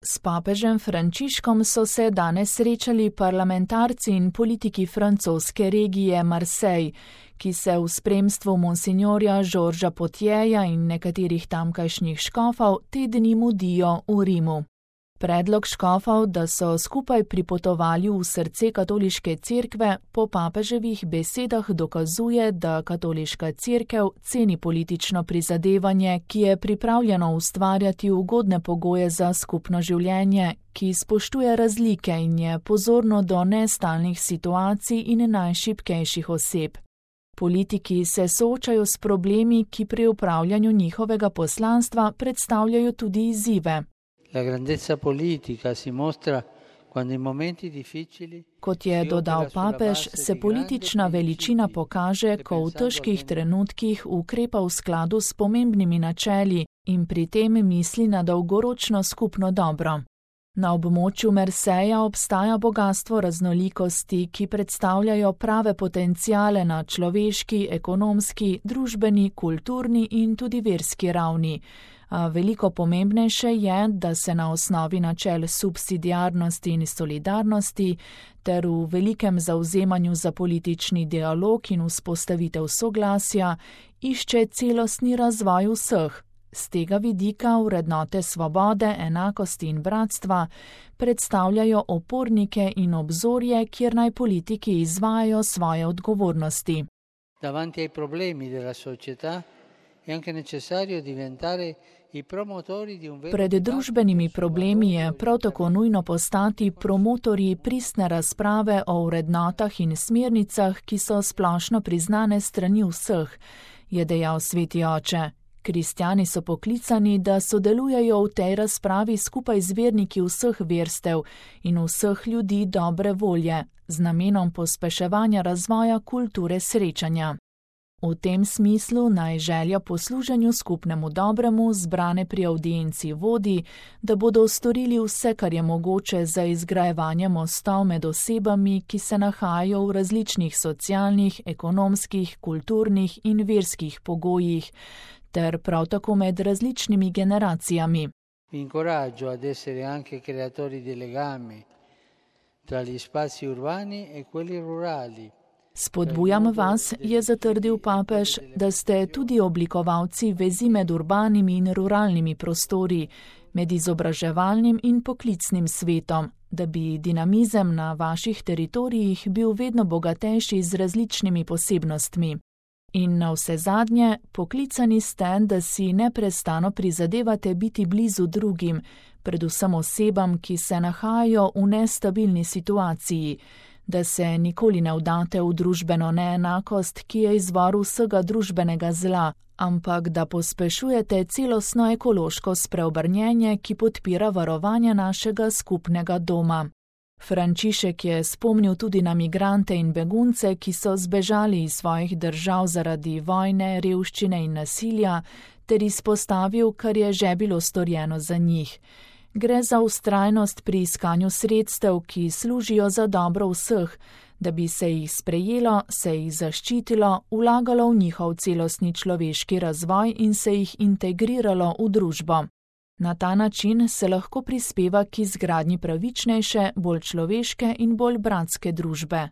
S papežem Frančiškom so se danes srečali parlamentarci in politiki francoske regije Marseille, ki se v spremstvu monsinjorja Georgesa Potjeja in nekaterih tamkajšnjih škofov te dni mudijo v Rimu. Predlog škofov, da so skupaj pripotovali v srce katoliške cerkve, po papeževih besedah dokazuje, da katoliška cerkev ceni politično prizadevanje, ki je pripravljeno ustvarjati ugodne pogoje za skupno življenje, ki spoštuje razlike in je pozorno do nestalnih situacij in najšibkejših oseb. Politiki se soočajo s problemi, ki pri upravljanju njihovega poslanstva predstavljajo tudi izzive. La grandezza politica si mostra quando in momenti difficili. Kot je dodal papež, se politična veličina pokaže, ko v težkih trenutkih ukrepa v skladu s pomembnimi načeli in pri tem misli na dolgoročno skupno dobro. Na območju Marseja obstaja bogastvo raznolikosti, ki predstavljajo prave potenciale na človeški, ekonomski, družbeni, kulturni in tudi verski ravni. A veliko pomembnejše je, da se na osnovi načel subsidiarnosti in solidarnosti ter v velikem zavzemanju za politični dialog in vzpostavitev soglasja išče celostni razvoj vseh. Z tega vidika vrednote svobode, enakosti in bratstva predstavljajo opornike in obzorje, kjer naj politiki izvajajo svoje odgovornosti. Davanti ai problemi della società è anche necessario diventare i promotori di un vero. Pred družbenimi problemi je prav tako nujno postati promotorji pristne razprave o vrednotah in smernicah, ki so splošno priznane strani vseh, je dejal sveti oče. Kristjani so poklicani, da sodelujejo v tej razpravi skupaj z verniki vseh verstev in vseh ljudi dobre volje, z namenom pospeševanja razvoja kulture srečanja. V tem smislu naj želja po služenju skupnemu dobremu zbrane pri avdienci vodi, da bodo storili vse, kar je mogoče za izgrajevanje mostov med osebami, ki se nahajajo v različnih socialnih, ekonomskih, kulturnih in verskih pogojih, ter prav tako med različnimi generacijami. Vi incoraggio ad essere anche creatori di legami tra gli spazi urbani e quelli rurali. Spodbujam vas, je zatrdil papež, da ste tudi oblikovalci vezi med urbanimi in ruralnimi prostori, med izobraževalnim in poklicnim svetom, da bi dinamizem na vaših teritorijih bil vedno bogatejši z različnimi posebnostmi. In navsezadnje, poklicani ste, da si neprestano prizadevate biti blizu drugim, predvsem osebam, ki se nahajajo v nestabilni situaciji, da se nikoli ne vdate v družbeno neenakost, ki je izvor vsega družbenega zla, ampak da pospešujete celostno ekološko spreobrnjenje, ki podpira varovanje našega skupnega doma. Frančišek je spomnil tudi na migrante in begunce, ki so zbežali iz svojih držav zaradi vojne, revščine in nasilja, ter izpostavil, kar je že bilo storjeno za njih. Gre za vztrajnost pri iskanju sredstev, ki služijo za dobro vseh, da bi se jih sprejelo, se jih zaščitilo, vlagalo v njihov celostni človeški razvoj in se jih integriralo v družbo. Na ta način se lahko prispeva k izgradnji pravičnejše, bolj človeške in bolj bratske družbe.